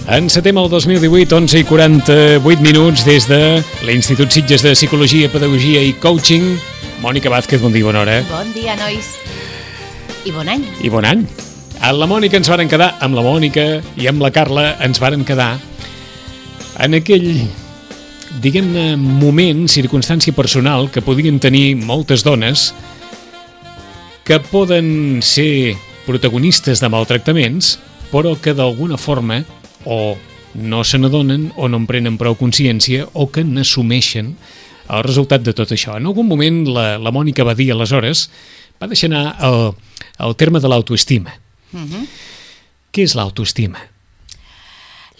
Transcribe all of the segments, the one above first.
Encetem el 2018, 11:48 des de l'Institut Sitges de Psicologia, Pedagogia i Coaching. Mònica Vázquez, bon dia, bona hora. Bon dia, nois. I bon any. I bon any. Amb la Mònica ens varen quedar, amb la Mònica i amb la Carla ens varen quedar en aquell, diguem-ne, moment, circumstància personal que podien tenir moltes dones que poden ser protagonistes de maltractaments, però que d'alguna forma o no se n'adonen o no en prenen prou consciència o que n'assumeixen el resultat de tot això. En algun moment la Mònica va dir, aleshores, va deixar anar el terme de l'autoestima. Què és l'autoestima?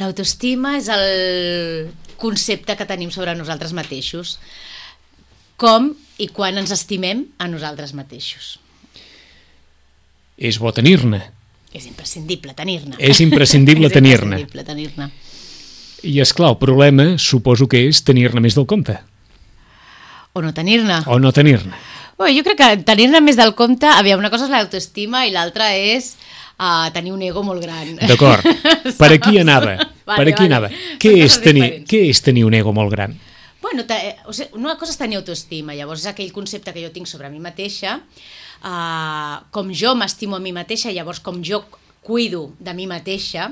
L'autoestima és el concepte que tenim sobre nosaltres mateixos. Com i quan ens estimem a nosaltres mateixos. És bo tenir-ne. És imprescindible tenir-ne. És imprescindible tenir-ne. És imprescindible tenir-ne. I, esclar, el problema suposo que és tenir-ne més del compte. O no tenir-ne. O no tenir-ne. Bé, jo crec que tenir-ne més del compte, una cosa és l'autoestima i l'altra és tenir un ego molt gran. D'acord. Per aquí anava. Per aquí anava. Què és tenir un ego molt gran? Bueno, una cosa és tenir autoestima, llavors és aquell concepte que jo tinc sobre mi mateixa, com jo m'estimo a mi mateixa, llavors com jo cuido de mi mateixa,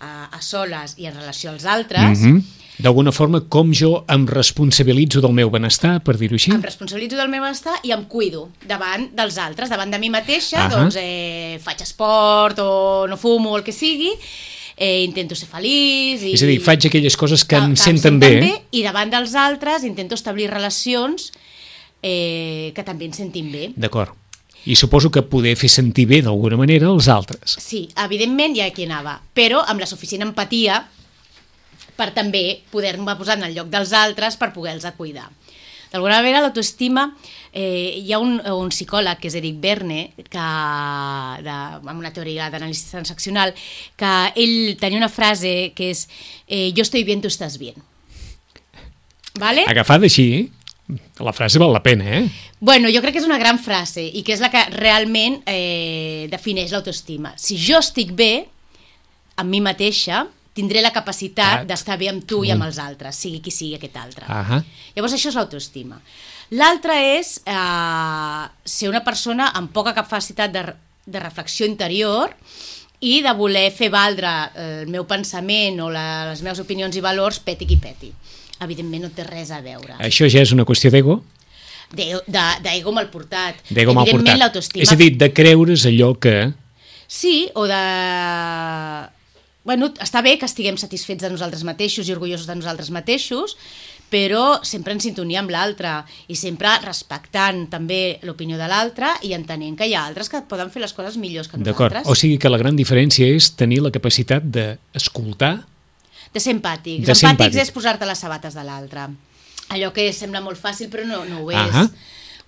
a soles i en relació als altres. D'alguna forma, com jo em responsabilitzo del meu benestar, per dir-ho així? Em responsabilitzo del meu benestar i em cuido davant dels altres, davant de mi mateixa, doncs faig esport o no fumo, el que sigui, intento ser feliç. És a dir, faig aquelles coses que em senten bé. I davant dels altres intento establir relacions que també ens sentin bé. D'acord. I suposo que poder fer sentir bé d'alguna manera els altres. Sí, evidentment, ja aquí anava, però amb la suficient empatia per també poder-me posar en el lloc dels altres per poder-los cuidar. D'alguna manera, l'autoestima, hi ha un psicòleg, que és Eric Berne, amb una teoria d'anàlisi transaccional, que ell tenia una frase que és «Yo estoy bien, tú estás bien». ¿Vale? Agafada així, la frase val la pena, Bueno, jo crec que és una gran frase i que és la que realment defineix l'autoestima. Si jo estic bé amb mi mateixa, tindré la capacitat d'estar bé amb tu i amb els altres, sigui qui sigui aquest altre. Llavors això és l'autoestima. L'altre és ser una persona amb poca capacitat de reflexió interior i de voler fer valdre el meu pensament o les meves opinions i valors peti qui peti. Evidentment no té res a veure. Això ja és una qüestió d'ego? D'ego mal portat. D'ego mal portat. Evidentment l'autoestima... És a dir, de creure's allò que... Sí, o de... Bueno, està bé que estiguem satisfets de nosaltres mateixos i orgullosos de nosaltres mateixos, però sempre en sintonia amb l'altre i sempre respectant també l'opinió de l'altre i entenent que hi ha altres que poden fer les coses millors que nosaltres. D'acord, o sigui que la gran diferència és tenir la capacitat d'escoltar... De ser empàtics. Empàtics és posar-te les sabates de l'altre. Allò que sembla molt fàcil però no ho és.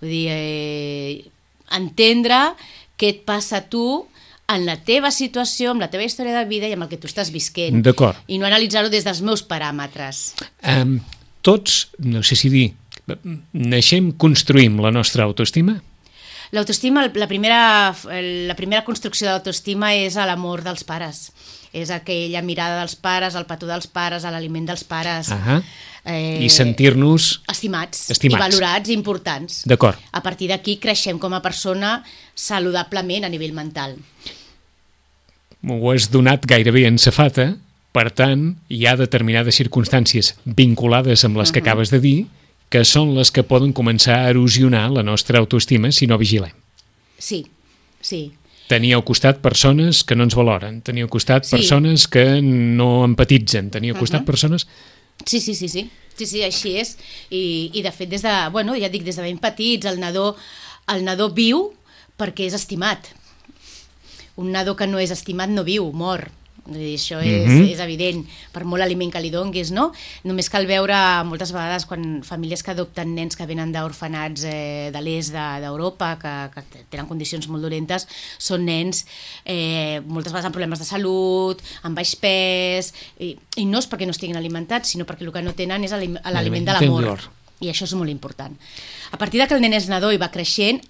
Vull dir, entendre què et passa a tu en la teva situació, amb la teva història de vida i amb el que tu estàs visquent. D'acord. I no analitzar-ho des dels meus paràmetres. Tots, no sé si dir, naixem, construïm la nostra autoestima? L'autoestima, la primera construcció d'autoestima és l'amor dels pares. És aquella mirada dels pares, el petó dels pares, l'aliment dels pares. I sentir-nos... Estimats i valorats i importants. D'acord. A partir d'aquí creixem com a persona saludablement a nivell mental. M'ho has donat gairebé en safata, per tant, hi ha determinades circumstàncies vinculades amb les que acabes de dir que són les que poden començar a erosionar la nostra autoestima si no vigilem. Sí. Tenir al costat persones que no ens valoren, tenir al costat persones que no empatitzen, tenir al costat persones... Sí, així és. I de fet, des de ben petits, el nadó viu perquè és estimat. Un nadó que no és estimat no viu, mor. Això és evident, per molt aliment que li donguis, no? Només cal veure moltes vegades quan famílies que adopten nens que venen d'orfenats de l'est d'Europa, que tenen condicions molt dolentes, són nens moltes vegades amb problemes de salut, amb baix pes, i no és perquè no estiguin alimentats, sinó perquè el que no tenen és l'aliment de l'amor. I això és molt important. A partir que el nen és nadó i va creixent,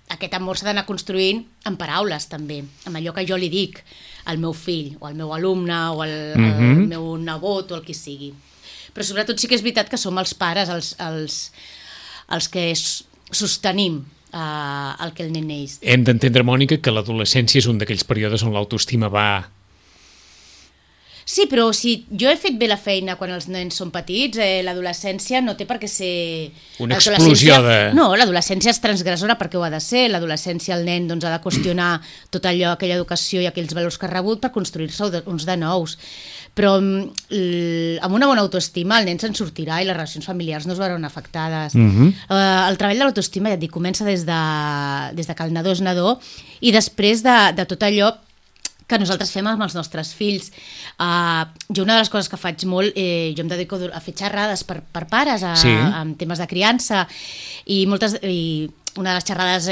aquest amor s'ha d'anar construint en paraules també, amb allò que jo li dic al meu fill, o al meu alumne, o al meu nebot, o el que sigui. Però sobretot sí que és veritat que som els pares els que sostenim el que el nen neix. Hem d'entendre, Mònica, que l'adolescència és un d'aquells períodes on l'autoestima va... Sí, però si jo he fet bé la feina quan els nens són petits, l'adolescència no té per què ser... Una explosió de... No, l'adolescència és transgressora perquè ho ha de ser. L'adolescència el nen doncs, ha de qüestionar tot allò, aquella educació i aquells valors que ha rebut per construir-se uns de nous. Però amb una bona autoestima el nen se'n sortirà i les relacions familiars no es veuran afectades. El treball de l'autoestima, ja et dic, comença des de que el nadó és nadó i després de tot allò que nosaltres fem amb els nostres fills. Jo una de les coses que faig molt, jo em dedico a fer xerrades per pares en temes de criança i una de les xerrades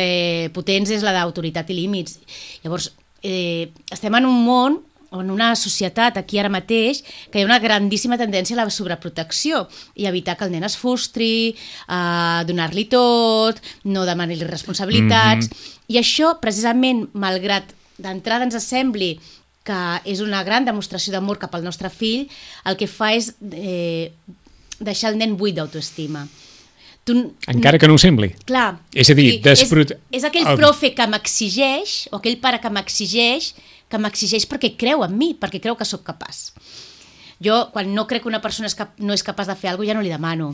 potents és la d'autoritat i límits. Llavors, estem en un món o en una societat aquí ara mateix que hi ha una grandíssima tendència a la sobreprotecció i evitar que el nen es frustri, donar-li tot, no demanar-li responsabilitats, i això precisament, malgrat d'entrada ens sembli que és una gran demostració d'amor cap al nostre fill, el que fa és deixar el nen buit d'autoestima. Encara que no ho sembli. Clar. És a dir, és aquell profe que m'exigeix, o aquell pare que m'exigeix perquè creu en mi, perquè creu que sóc capaç. Jo, quan no crec que una persona no és capaç de fer alguna cosa, ja no li demano.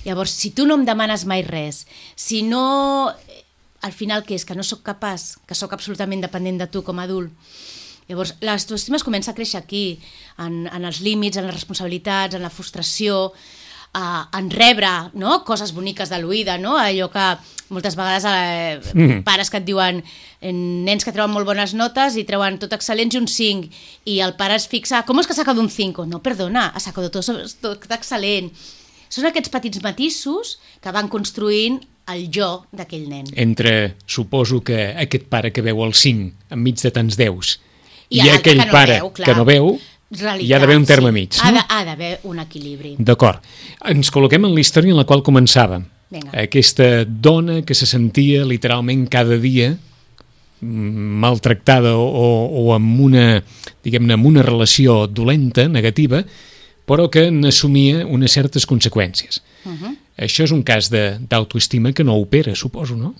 Llavors, si tu no em demanes mai res, si no... Al final, què és? Que no sóc capaç, que sóc absolutament dependent de tu com a adult. Llavors, l'autoestima es comença a créixer aquí, en els límits, en les responsabilitats, en la frustració, en rebre, no?, coses boniques de l'oïda, no? Allò que moltes vegades pares que et diuen nens que treuen molt bones notes i treuen tot excel·lents i un 5, i el pare es fixa, com és que ha sacado un 5? No, perdona, ha sacado tot excel·lent. Són aquests petits matisos que van construint el jo d'aquell nen. Entre, suposo que aquest pare que veu el 5 enmig de tants 10 i aquell pare que no veu, hi ha d'haver un terme mig. Ha d'haver un equilibri. D'acord. Ens col·loquem en la història en la qual començava. Aquesta dona que se sentia literalment cada dia maltractada o amb una, diguem-ne, amb una relació dolenta, negativa, però que n'assumia unes certes conseqüències. Això és un cas d'autoestima que no opera, suposo, no?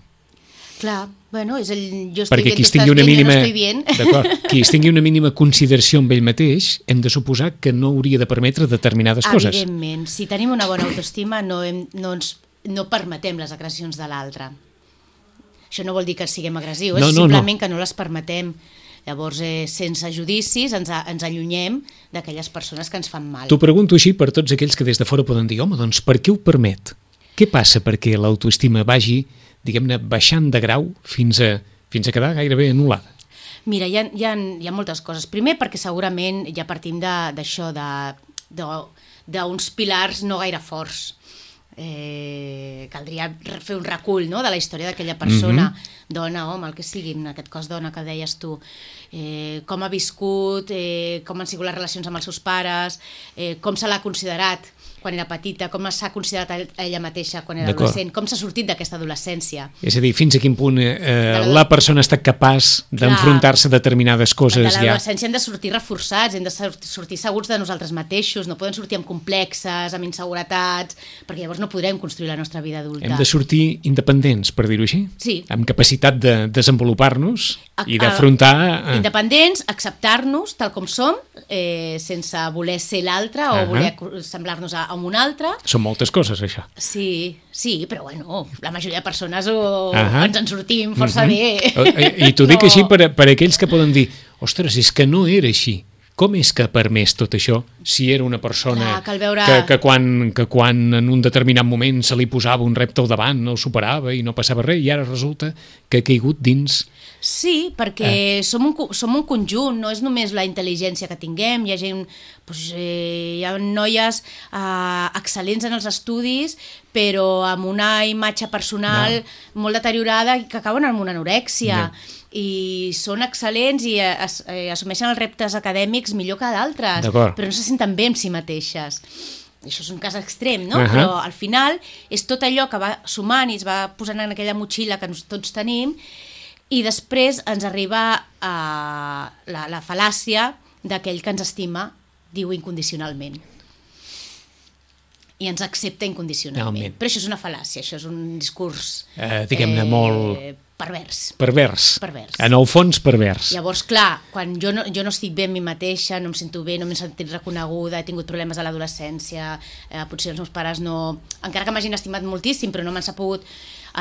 Clar, bueno, és jo estic perquè bien, tu estàs bien, jo no estoy bien. D'acord, qui es tingui una mínima consideració amb ell mateix, hem de suposar que no hauria de permetre determinades coses. Evidentment, si tenim una bona autoestima no permetem les agressions de l'altre. Això no vol dir que siguem agressius, és simplement que no les permetem. Llavors, sense judicis, ens allunyem d'aquelles persones que ens fan mal. T'ho pregunto així per tots aquells que des de fora poden dir home, doncs per què ho permet? Què passa perquè l'autoestima vagi, diguem-ne, baixant de grau fins a quedar gairebé anul·lada? Mira, hi ha moltes coses. Primer, perquè segurament ja partim d'això, d'uns pilars no gaire forts. Caldria fer un recull, no?, de la història d'aquella persona, dona, home, el que sigui, en aquest cas dona que deies tu, com ha viscut, com han sigut les relacions amb els seus pares, com se l'ha considerat quan era petita, com s'ha considerat ella mateixa quan era adolescent, com s'ha sortit d'aquesta adolescència. És a dir, fins a quin punt la persona ha estat capaç d'enfrontar-se a determinades coses. De l'adolescència hem de sortir reforçats, hem de sortir segurs de nosaltres mateixos, no podem sortir amb complexes, amb inseguretats, perquè llavors no podrem construir la nostra vida adulta. Hem de sortir independents, per dir-ho així? Sí. Amb capacitat de desenvolupar-nos i d'afrontar... Independents, acceptar-nos tal com som, sense voler ser l'altre o voler semblar-nos a un altre. Són moltes coses, això. Sí, però bueno, la majoria de persones ens en sortim força bé. I t'ho dic així per aquells que poden dir ostres, és que no era així. Com és que ha permès tot això si era una persona que quan en un determinat moment se li posava un repte al davant no el superava i no passava res i ara resulta que ha caigut dins... Sí, perquè som un conjunt, no és només la intel·ligència que tinguem, hi ha gent, hi ha noies excel·lents en els estudis, però amb una imatge personal molt deteriorada i que acaben amb una anorèxia. I són excel·lents i assumeixen els reptes acadèmics millor que d'altres, però no se senten bé amb si mateixes. això és un cas extrem, no? Però al final és tot allò que va sumant i es va posant en aquella motxilla que tots tenim, i després ens arriba la fal·làcia d'aquell que ens estima, diu incondicionalment. I ens accepta incondicionalment. Però això és una fal·làcia, això és un discurs... diguem-ne molt... Pervers. Pervers. En el fons, pervers. Llavors, clar, quan jo no estic bé amb mi mateixa, no em sento bé, no m'he sentit reconeguda, he tingut problemes a l'adolescència, potser els meus pares no... Encara que m'hagin estimat moltíssim, però no m'ha pogut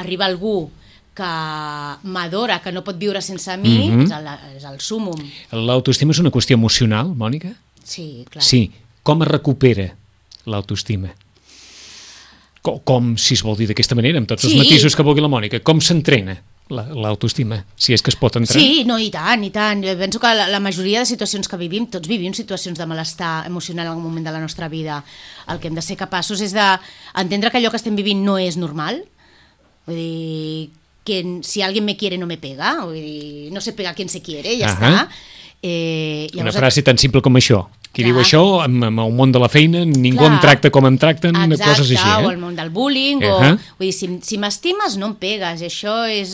arribar algú que m'adora, que no pot viure sense mi, és el súmum. L'autoestima és una qüestió emocional, Mònica? Sí, clar. Sí. Com es recupera l'autoestima? Com, si es vol dir d'aquesta manera, amb tots els matisos que vulgui la Mònica, com s'entrena l'autoestima, si és que es pot entrenar? Sí, no, i tant, i tant. Jo penso que la majoria de situacions que vivim, tots vivim situacions de malestar emocional en algun moment de la nostra vida. El que hem de ser capaços és d'entendre que allò que estem vivint no és normal. Vull dir, que si alguien me quiere no me pega, vull dir, no se pega a quien se quiere, ja està. Una frase tan simple com això. Qui diu això, amb el món de la feina, ningú em tracta com em tracten, coses així. Exacte, o el món del bullying, vull dir, si m'estimes no em pegues, això és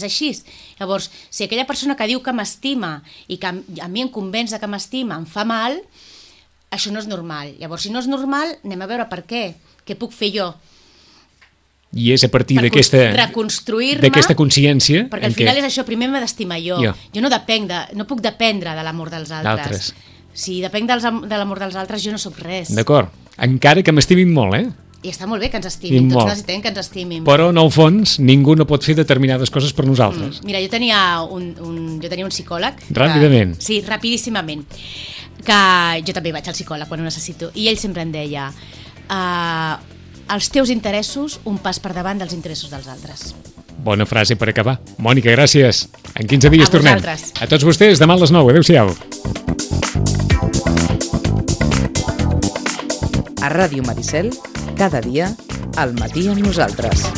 així. Llavors, si aquella persona que diu que m'estima i que a mi em convenç que m'estima em fa mal, això no és normal. Llavors, si no és normal, anem a veure per què. Què puc fer jo? I és a partir d'aquesta consciència... Perquè al final és això, primer m'he d'estimar jo. Jo no puc dependre de l'amor dels altres. Si depenc de l'amor dels altres, jo no sóc res. D'acord. Encara que m'estimin molt, I està molt bé que ens estimin, tots necessitem que ens estimin. Però, en el fons, ningú no pot fer determinades coses per nosaltres. Mira, jo tenia un psicòleg... Ràpidament. Sí, rapidíssimament. Que jo també vaig al psicòleg quan ho necessito. I ell sempre em deia... els teus interessos, un pas per davant dels interessos dels altres. Bona frase per acabar. Mònica, gràcies. En 15 dies tornem. A tots vostès, demà a les 9. Adéu-siau. A Ràdio Maricel, cada dia, al matí amb nosaltres.